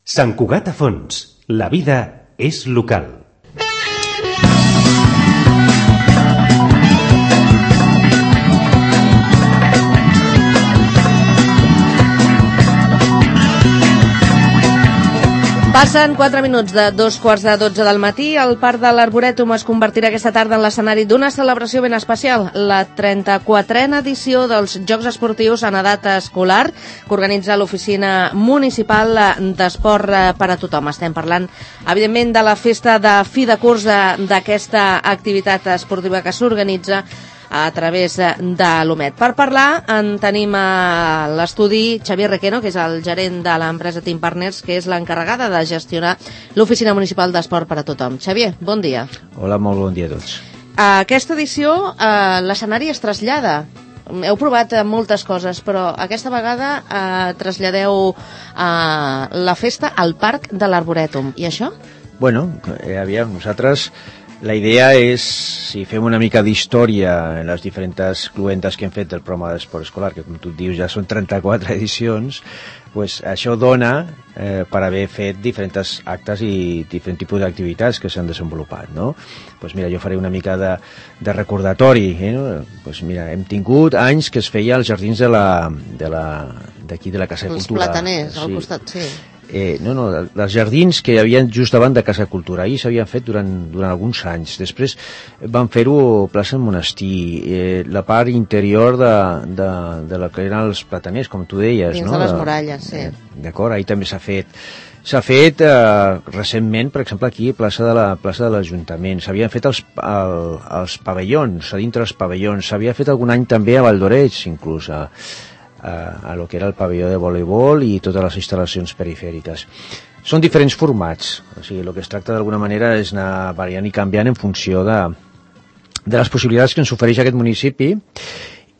Sant Cugat a Fons. La vida és local. Passen 4 minuts de 2:15 del matí. El Parc de l'Arborètum es convertirà aquesta tarda en l'escenari d'una celebració ben especial, la 34a edició dels Jocs Esportius en edat escolar que organitza l'Oficina Municipal d'Esport per a tothom. Estem parlant, evidentment, de la festa de fi de curs d'aquesta activitat esportiva que s'organitza a través de l'OMED. Per parlar en tenim a l'estudi Xavier Requeno, que és el gerent de l'empresa Team Partners, que és l'encarregada de gestionar l'Oficina Municipal d'Esport per a tothom. Xavier, bon dia. Hola, molt bon dia a tots. A aquesta edició l'escenari es trasllada. Heu provat moltes coses, però aquesta vegada traslladeu la festa al Parc de l'Arborètum. I això? Bueno, aviam, nosaltres... La idea és, si fem una mica d'història en les diferents cluentes que hem fet del programa d'esport escolar, que com tu dius ja són 34 edicions, pues això dona per haver fet diferents actes i diferents tipus d'activitats que s'han desenvolupat, no? Pues mira, jo faré una mica de recordatori, no? Pues mira, hem tingut anys que es feia als jardins d'aquí de la Casa de Cultura. Els plataners, al costat, sí. Els jardins que hi havia just davant de Casa Cultura, ahir s'havien fet durant alguns anys. Després van fer-ho plaça Monestir, la part interior de la que eren els plataners, com tu deies, dins no? De les muralles, sí. D'acord, ahir també s'ha fet. S'ha fet recentment, per exemple, aquí a plaça de l'Ajuntament. S'havien fet els pavellons, a dintre els pavellons. S'havia fet algun any també a Valdoreig, inclús, a lo que era el pavelló de voleibol i totes les instal·lacions perifèriques. Són diferents formats, o sigui, el que es tracta d'alguna manera és anar variant i canviant en funció de les possibilitats que ens ofereix aquest municipi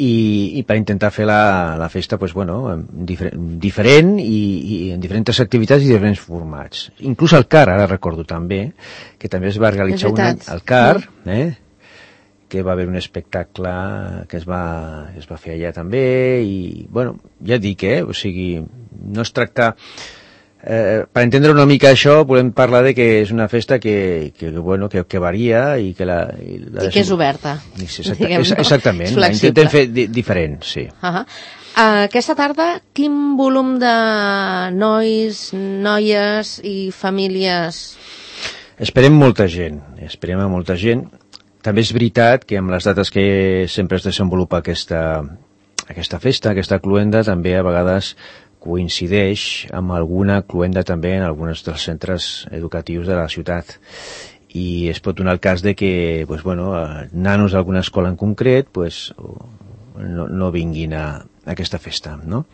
i per intentar fer la festa pues, bueno, diferent i en diferents activitats i diferents formats. Inclús el CAR, ara recordo també, que també es va realitzar un any al CAR, que va haver un espectacle que es va fer allà també i, bueno, ja dic, o sigui, no es tracta... per entendre una mica això, volem parlar de que és una festa que varia i que i que és oberta. Exactament, la intentem fer diferent, sí. Aquesta tarda, quin volum de nois, noies i famílies? Esperem molta gent. També és veritat que amb les dates que sempre es desenvolupa aquesta festa, aquesta cluenda, també a vegades coincideix amb alguna cluenda també en alguns dels centres educatius de la ciutat. I es pot donar el cas de que nanos d'alguna escola en concret no vinguin a aquesta festa, no?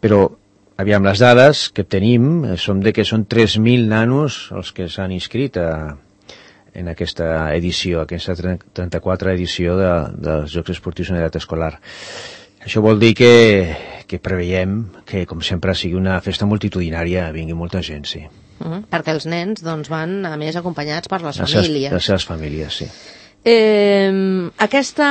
Però, aviam, les dades que tenim són de que són 3.000 nanos els que s'han inscrit en aquesta edició, aquesta 34a edició dels Jocs Esportius en edat escolar. Això vol dir que preveiem que, com sempre, sigui una festa multitudinària, vingui molta gent, sí. Perquè els nens van, a més, acompanyats per les famílies. Les seves famílies, sí. Aquesta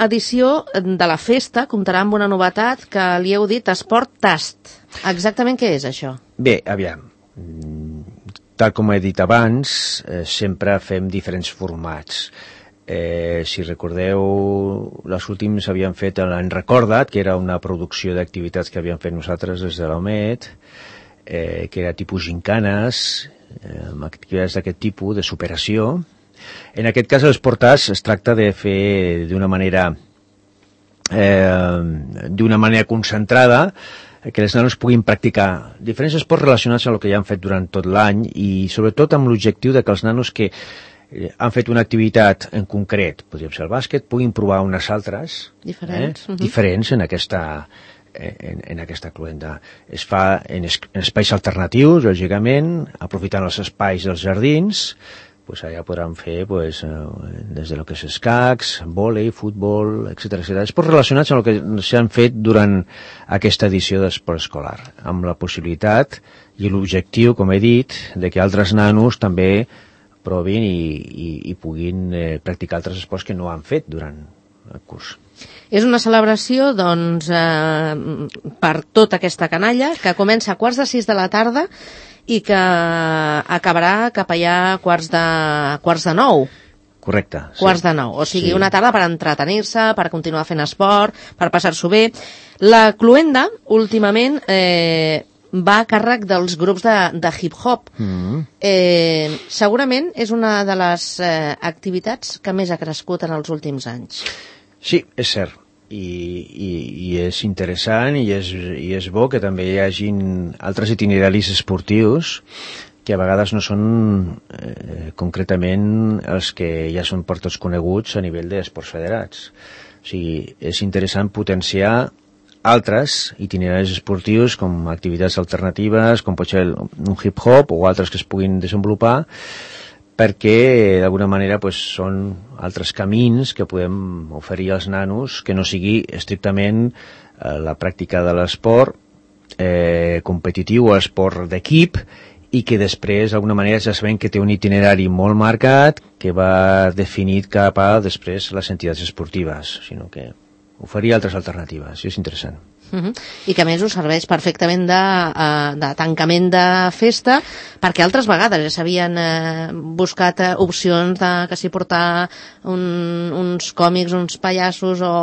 edició de la festa comptarà amb una novetat que li heu dit Esport Tast. Exactament què és això? Bé, aviam, tal com he dit abans, sempre fem diferents formats. Si recordeu, les últims havíem fet l'Any Recorda't, que era una producció d'activitats que havíem fet nosaltres des de l'OMED, que era tipus gincanes, amb activitats d'aquest tipus, de superació. En aquest cas, els portats es tracta de fer d'una manera concentrada, que els nanos puguin practicar diferents esports relacionats amb el que ja han fet durant tot l'any i sobretot amb l'objectiu de que els nanos que han fet una activitat en concret, podríem ser el bàsquet, puguin provar unes altres diferents en aquesta cluenda. Es fa en espais alternatius, lògicament, aprofitant els espais dels jardins, allà podran fer des de lo que és escacs, vòlei, futbol, etc. Esports relacionats amb el que s'han fet durant aquesta edició d'esport escolar, amb la possibilitat i l'objectiu, com he dit, de que altres nanos també provin i puguin practicar altres esports que no han fet durant el curs. És una celebració, doncs, per tota aquesta canalla, que comença a 5:15 de la tarda i que acabarà cap allà quarts de 9. Correcte. Quarts de 9, o sigui, una tarda per entretenir-se, per continuar fent esport, per passar-s'ho bé. La cloenda, últimament, va a càrrec dels grups de hip-hop. Segurament és una de les activitats que més ha crescut en els últims anys. Sí, és cert. I és interessant i és bo que també hi hagin altres itineraris esportius que a vegades no són concretament els que ja són per tots coneguts a nivell d'esports federats. O sigui, és interessant potenciar altres itineraris esportius com activitats alternatives, com pot ser un hip-hop o altres que es puguin desenvolupar, perquè d'alguna manera són altres camins que podem oferir als nanos que no sigui estrictament la pràctica de l'esport competitiu o l'esport d'equip, i que després, d'alguna manera, ja sabem que té un itinerari molt marcat que va definit cap a, després, les entitats esportives, sinó que oferir altres alternatives, i és interessant. I que a més us serveix perfectament de tancament de festa, perquè altres vegades ja s'havien buscat opcions de que s'hi portar uns còmics, uns pallassos o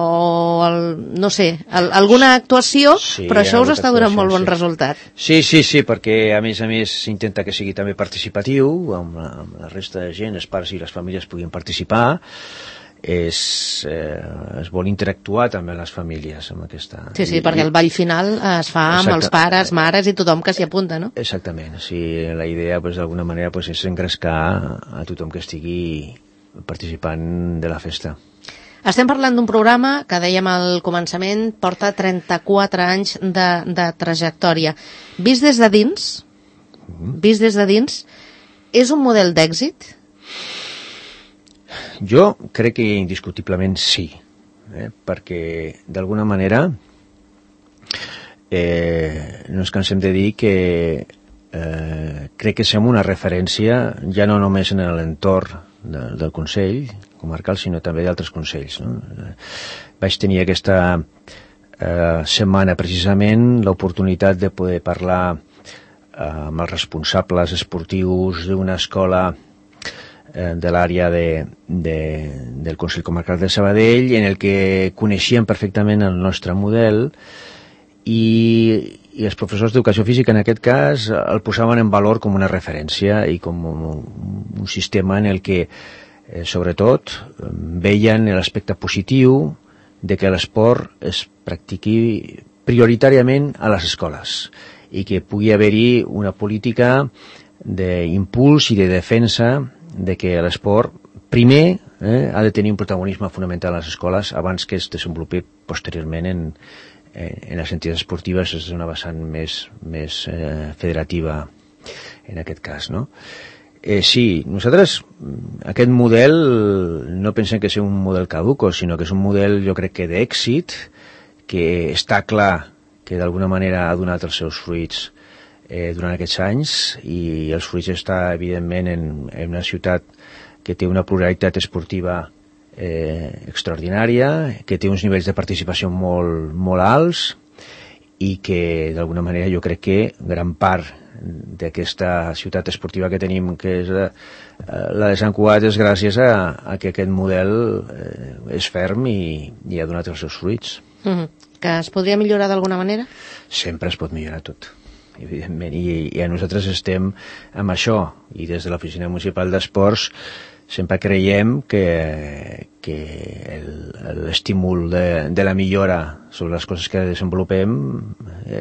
no sé, alguna actuació, però això us està donant molt bon resultat. Sí, perquè a més s'intenta que sigui també participatiu, amb la resta de gent, els pares i les famílies puguin participar. Es vol interactuar també amb les famílies amb aquesta... Sí, perquè el ball final es fa amb els pares, mares i tothom que s'hi apunta, no? Exactament, la idea d'alguna manera és engrescar a tothom que estigui participant de la festa. Estem parlant d'un programa que dèiem al començament porta 34 anys de trajectòria. Vist des de dins, és un model d'èxit? Jo crec que indiscutiblement sí, perquè d'alguna manera no ens cansem de dir que crec que som una referència ja no només en l'entorn del Consell Comarcal, sinó també d'altres consells. Vaig tenir aquesta setmana precisament l'oportunitat de poder parlar amb els responsables esportius d'una escola de l'àrea del Consell Comarcal de Sabadell, en el que coneixien perfectament el nostre model i els professors d'educació física en aquest cas el posaven en valor com una referència i com un sistema en el que sobretot veien l'aspecte positiu de que l'esport es practiqui prioritàriament a les escoles i que pugui haver-hi una política d'impuls i de defensa de que l'esport primer ha de tenir un protagonisme fonamental a les escoles abans que es desenvolupi posteriorment en les entitats esportives és una vessant més federativa en aquest cas, no? Sí, nosaltres aquest model no pensem que sigui un model caduco, sinó que és un model jo crec que d'èxit, que està clar que d'alguna manera ha donat els seus fruits durant aquests anys i els fruits està evidentment en una ciutat que té una pluralitat esportiva extraordinària, que té uns nivells de participació molt alts i que d'alguna manera jo crec que gran part d'aquesta ciutat esportiva que tenim, que és la de Sant Cugat, és gràcies a que aquest model és ferm i ha donat els seus fruits. Que es podria millorar d'alguna manera? Sempre es pot millorar tot, evidentment, i a nosaltres estem amb això, i des de l'Oficina Municipal d'Esports sempre creiem que l'estímul de la millora sobre les coses que desenvolupem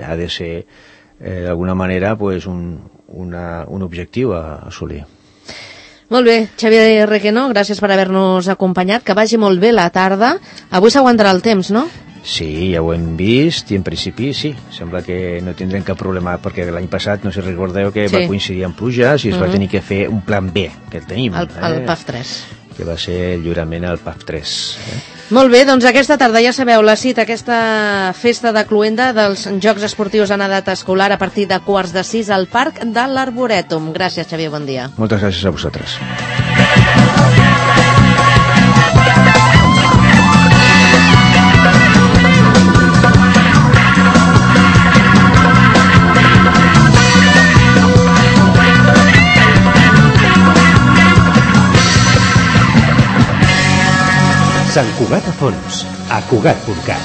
ha de ser d'alguna manera un objectiu a assolir. Molt bé, Xavier Requeno, gràcies per haver-nos acompanyat, que vagi molt bé la tarda. Avui s'aguantarà el temps, no? Sí, ja ho hem vist i en principi sí, sembla que no tindrem cap problema perquè l'any passat, no sé si recordeu que va coincidir amb pluges i es va tenir que fer un plan B, que el tenim. El PAF 3. Que va ser el lliurament al PAF 3. Molt bé, doncs aquesta tarda ja sabeu la cita, aquesta festa de cloenda dels Jocs Esportius en edat escolar a partir de 5:45 al Parc de l'Arborètum. Gràcies, Xavier, bon dia. Moltes gràcies a vosaltres. Sant Cugat a Fons, a Cugat.cat.